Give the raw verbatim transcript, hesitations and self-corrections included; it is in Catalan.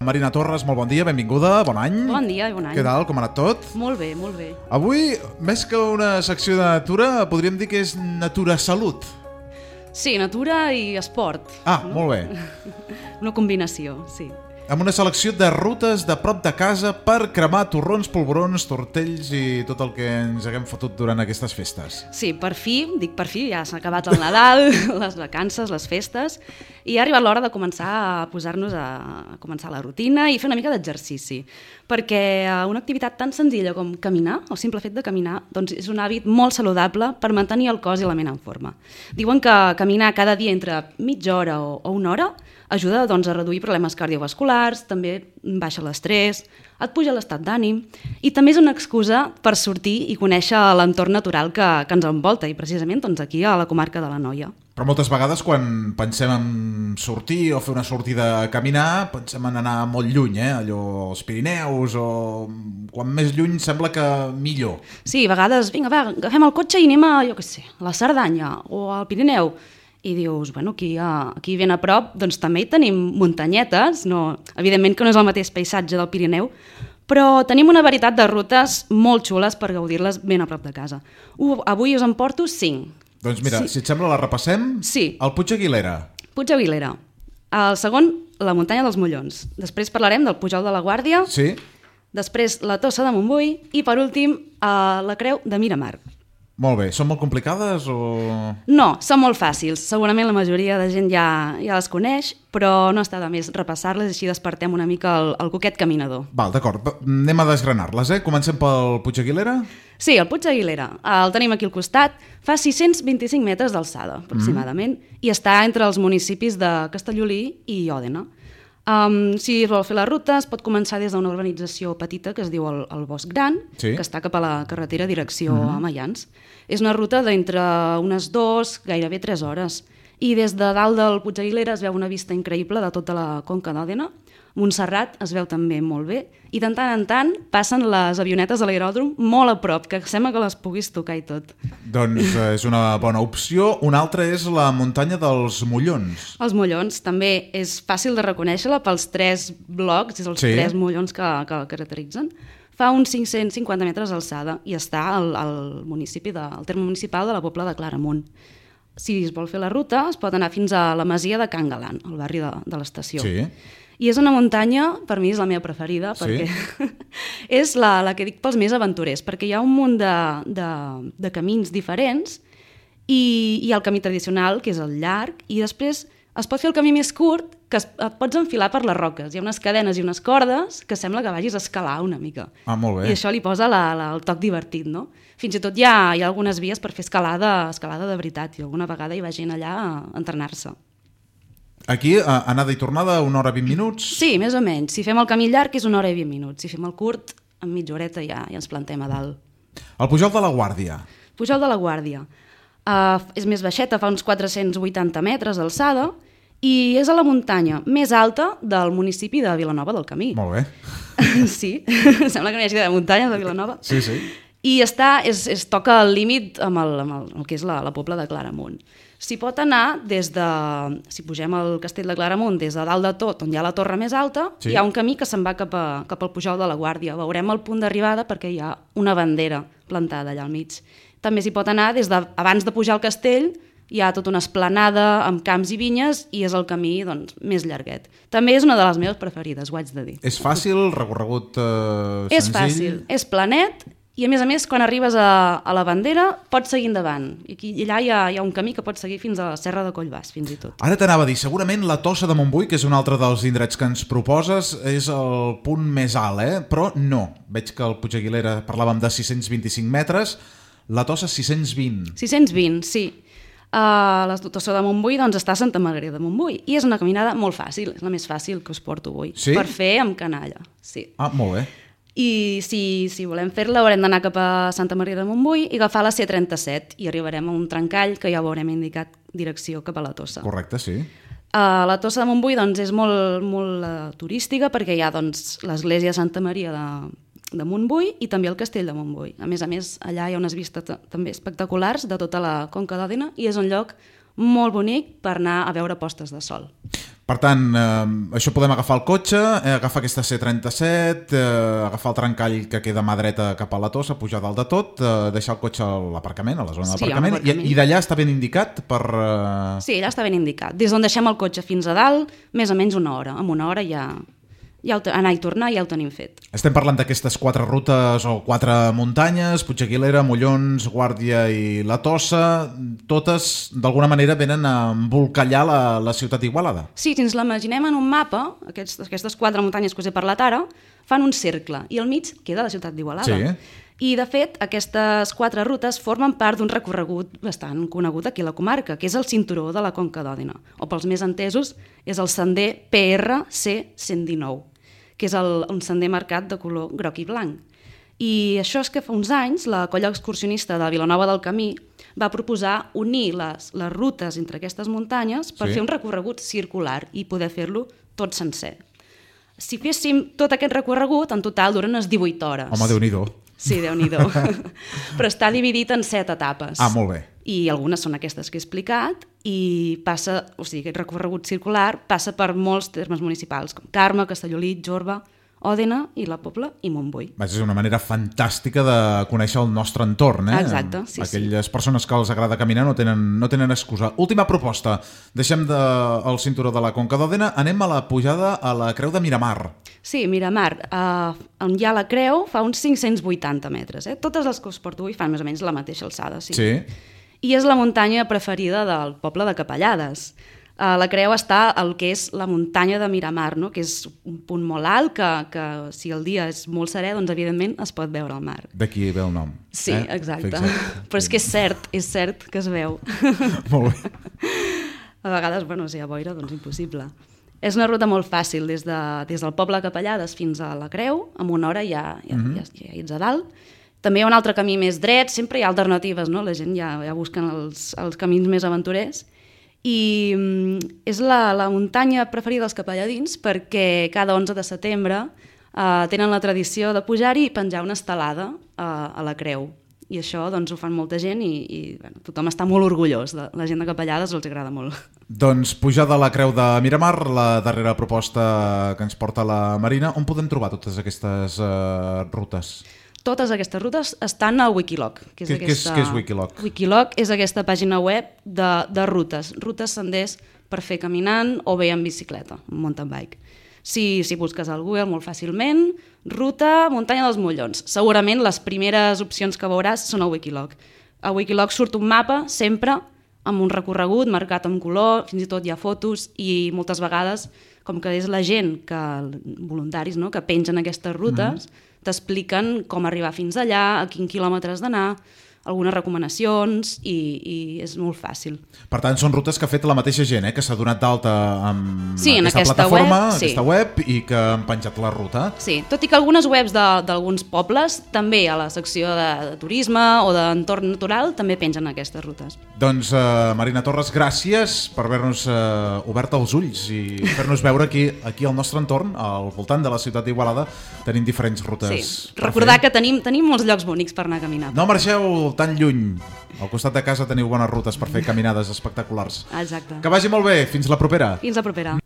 Marina Torres, molt bon dia, benvinguda, bon any. Bon dia i bon any. Què tal, com ha anat tot? Molt bé, molt bé. Avui, més que una secció de natura, podríem dir que és natura salut. Sí, natura i esport. Ah, no? Molt bé. Una combinació, sí. Amb una selecció de rutes de prop de casa per cremar torrons, polvorons, tortells i tot el que ens haguem fotut durant aquestes festes. Sí, per fi, dic per fi, ja s'ha acabat el Nadal, les vacances, les festes, i ha arribat l'hora de començar a posar-nos a, a començar la rutina i fer una mica d'exercici, perquè una activitat tan senzilla com caminar, el simple fet de caminar, doncs és un hàbit molt saludable per mantenir el cos i la ment en forma. Diuen que caminar cada dia entre mitja hora o, o una hora ajuda doncs, a reduir problemes cardiovasculars, també baixa l'estrès, et puja l'estat d'ànim i també és una excusa per sortir i conèixer l'entorn natural que, que ens envolta i precisament doncs, aquí a la comarca de l'Anoia. Però moltes vegades quan pensem en sortir o fer una sortida a caminar pensem en anar molt lluny, eh? Allò als Pirineus o quan més lluny sembla que millor. Sí, a vegades, vinga va, agafem el cotxe i anem a, jo què sé, a la Cerdanya o al Pirineu. I dius, bueno, aquí, aquí ben a prop doncs també hi tenim muntanyetes, no, evidentment que no és el mateix paisatge del Pirineu, però tenim una varietat de rutes molt xules per gaudir-les ben a prop de casa. Uh, avui us en porto cinc. Doncs mira, sí. Si et sembla la repassem. Sí. El Puig Aguilera. Puig Aguilera. El segon, la muntanya dels Mollons. Després parlarem del Pujol de la Guàrdia. Sí. Després la Tossa de Montbui i per últim la Creu de Miramar. Molt bé. Són molt complicades o...? No, són molt fàcils. Segurament la majoria de gent ja, ja les coneix, però no està de més repassar-les i així despertem una mica el, el coquet caminador. Val, d'acord. Anem a desgranar-les, eh? Comencem pel Puig Aguilera? Sí, el Puig Aguilera. El tenim aquí al costat. Fa sis-cents vint-i-cinc metres d'alçada, aproximadament, mm. i està entre els municipis de Castellolí i Òdena. Um, si es vol fer la ruta, es pot començar des d'una urbanització petita que es diu el, el Bosc Gran, sí. Que està cap a la carretera direcció mm-hmm. a Maians. És una ruta d'entre unes dues, gairebé tres hores. I des de dalt del Puig Aguilera es veu una vista increïble de tota la conca d'Òdena. Montserrat es veu també molt bé. I de tant en tant passen les avionetes de l'aeròdrom molt a prop, que sembla que les puguis tocar i tot. Doncs eh, és una bona opció. Una altra és la muntanya dels Mollons. Els Mollons també és fàcil de reconèixer-la pels tres blocs, els sí. tres mollons que, que el caracteritzen. Fa uns cinc-cents cinquanta metres d'alçada i està al, al municipi de, al terme municipal de la Pobla de Claramunt. Si es vol fer la ruta, es pot anar fins a la masia de Can Galant, al barri de, de l'estació. Sí. I és una muntanya, per mi és la meva preferida, perquè sí. és la, la que dic pels més aventurers, perquè hi ha un munt de, de, de camins diferents i hi ha el camí tradicional, que és el llarg, i després es pot fer el camí més curt, que es, et pots enfilar per les roques. Hi ha unes cadenes i unes cordes que sembla que vagis a escalar una mica. Ah, molt bé. I això li posa la, la, el toc divertit, no? Fins i tot hi ha, hi ha algunes vies per fer escalada, escalada de veritat, i alguna vegada hi va gent allà a entrenar-se. Aquí, anada i tornada, una hora i vint minuts? Sí, més o menys. Si fem el camí llarg és una hora i vint minuts. Si fem el curt, en mitja horeta ja, ja ens plantem a dalt. El Pujol de la Guàrdia. Pujol de la Guàrdia. Uh, és més baixeta, fa uns quatre-cents vuitanta metres d'alçada i és a la muntanya més alta del municipi de Vilanova del Camí. Molt bé. Sí, sembla que no hi hagi de muntanya de Vilanova. Sí, sí. I està, es, es toca el límit amb el, amb el, el que és la, la Pobla de Claramunt. S'hi pot anar des de, si pugem al castell de Claramunt, des de dalt de tot, on hi ha la torre més alta, sí. Hi ha un camí que se'n va cap, a, cap al Pujol de la Guàrdia. Veurem el punt d'arribada perquè hi ha una bandera plantada allà al mig. També s'hi pot anar des de, abans de pujar al castell, hi ha tota una esplanada amb camps i vinyes i és el camí doncs, més llarguet. També és una de les meves preferides, ho haig de dir. És fàcil, recorregut eh, senzill? És fàcil, és planet. I a més a més, quan arribes a, a la bandera, pots seguir endavant. I, aquí, i allà hi ha, hi ha un camí que pots seguir fins a la Serra de Collbàs, fins i tot. Ara t'anava a dir, segurament la Tossa de Montbui, que és un altre dels indrets que ens proposes, és el punt més alt, eh? Però no. Veig que el Puig Aguilera parlàvem de sis-cents vint-i-cinc metres, la Tossa sis-cents vint. sis-cents vint, sí. Uh, la Tossa de Montbui doncs, està a Santa Margarida de Montbui i és una caminada molt fàcil, és la més fàcil que us porto avui. Sí? Per fer amb canalla. Sí. Ah, molt bé. I si, si volem fer-la haurem d'anar cap a Santa Maria de Montbui i agafar la C trenta-set i arribarem a un trencall que ja ho haurem indicat direcció cap a la Tossa. Correcte, sí. Uh, la Tossa de Montbui doncs, és molt, molt uh, turística perquè hi ha doncs, l'església de Santa Maria de, de Montbui i també el castell de Montbui. A més a més, allà hi ha unes vistes també espectaculars de tota la conca d'Òdena i és un lloc molt bonic per anar a veure postes de sol. Per tant, eh, això podem agafar el cotxe, eh, agafar aquesta C trenta-set, eh, agafar el trencall que queda a mà dreta cap a la Tossa, pujar dalt de tot, eh, deixar el cotxe a l'aparcament, a la zona Sí, d'aparcament, a l'aparcament. i, i d'allà està ben indicat per... Eh... Sí, allà està ben indicat. Des d'on deixem el cotxe fins a dalt, més o menys una hora. En una hora ja, ja ho, anar i tornar ja ho tenim fet. Estem parlant d'aquestes quatre rutes o quatre muntanyes, Puigdeguilera, Mollons, Guàrdia i la Tossa, totes d'alguna manera venen a embolcallar la, la ciutat d'Igualada. Sí, si ens l'imaginem en un mapa, aquests, aquestes quatre muntanyes que us he parlat ara, fan un cercle i al mig queda la ciutat d'Igualada. Sí. I, de fet, aquestes quatre rutes formen part d'un recorregut bastant conegut aquí a la comarca, que és el cinturó de la Conca d'Òdena, o pels més entesos és el sender P R C cent dinou, que és el, un sender marcat de color groc i blanc. I això és que fa uns anys la colla excursionista de Vilanova del Camí va proposar unir les, les rutes entre aquestes muntanyes per Sí. fer un recorregut circular i poder fer-lo tot sencer. Si féssim tot aquest recorregut, en total duren unes divuit hores. Home, Déu-n'hi-do. Sí, Déu-n'hi-do. Però està dividit en set etapes. Ah, molt bé. I algunes són aquestes que he explicat i passa, o sigui, aquest recorregut circular passa per molts termes municipals, com Carme, Castellolí, Jorba, Òdena i la Pobla i Montbui. Vaja, és una manera fantàstica de conèixer el nostre entorn, eh? Exacte, sí, Aquelles sí. persones que els agrada caminar no tenen, no tenen excusa. Última proposta. Deixem de, el cinturó de la Conca d'Òdena, anem a la pujada a la Creu de Miramar. Sí, Miramar, eh, on hi ha la creu, fa uns cinc-cents vuitanta metres. Eh? Totes les que us porto avui fan més o menys la mateixa alçada. Sí. Sí. I és la muntanya preferida del poble de Capellades. Uh, la creu està al que és la muntanya de Miramar, no? Que és un punt molt alt, que, que si el dia és molt serè, doncs evidentment es pot veure el mar. D'aquí ve el nom. Sí, eh? exacte. Fixa't. Però és que és cert, és cert que es veu. Molt bé. A vegades, bueno, si hi ha boira, doncs impossible. És una ruta molt fàcil, des, de, des del poble de Capellades fins a la creu, en una hora ja, ja, Mhm. ja, ja ets a dalt. També hi ha un altre camí més dret, sempre hi ha alternatives, no? La gent ja, ja busquen els, els camins més aventurers. I mm, és la, la muntanya preferida dels capelladins perquè cada onze de setembre eh, tenen la tradició de pujar-hi i penjar una estelada eh, a la creu. I això doncs, ho fan molta gent i, i bueno, tothom està molt orgullós. De, la gent de Capellades els agrada molt. Doncs pujada a la Creu de Miramar, la darrera proposta que ens porta la Marina. On podem trobar totes aquestes uh, rutes? Totes aquestes rutes estan al Wikiloc. Que és Què, aquesta... què, és, què és Wikiloc? Wikiloc és aquesta pàgina web de, de rutes. Rutes, senders per fer caminant o bé en bicicleta, en mountain bike. Si, si busques al Google molt fàcilment, ruta muntanya dels Mollons. Segurament les primeres opcions que veuràs són al Wikiloc. A Wikiloc surt un mapa sempre amb un recorregut marcat amb color, fins i tot hi ha fotos i moltes vegades, com que és la gent, que voluntaris no? que pengen aquestes rutes, mm-hmm. t'expliquen com arribar fins allà, a quin quilòmetre has d'anar, algunes recomanacions i, i és molt fàcil. Per tant, són rutes que ha fet la mateixa gent, eh? Que s'ha donat d'alta amb sí, aquesta, aquesta plataforma, web, sí. aquesta web, i que han penjat la ruta. Sí, tot i que algunes webs d'alguns pobles, també a la secció de, de turisme o d'entorn natural, també pengen aquestes rutes. Doncs, uh, Marina Torres, gràcies per haver-nos uh, obert els ulls i fer-nos veure aquí, aquí al nostre entorn, al voltant de la ciutat d'Igualada, tenim diferents rutes. Sí, recordar que tenim, tenim molts llocs bonics per anar a caminar. No marxeu tan lluny. Al costat de casa teniu bones rutes per fer caminades espectaculars. Exacte. Que vagi molt bé. Fins la propera. Fins la propera.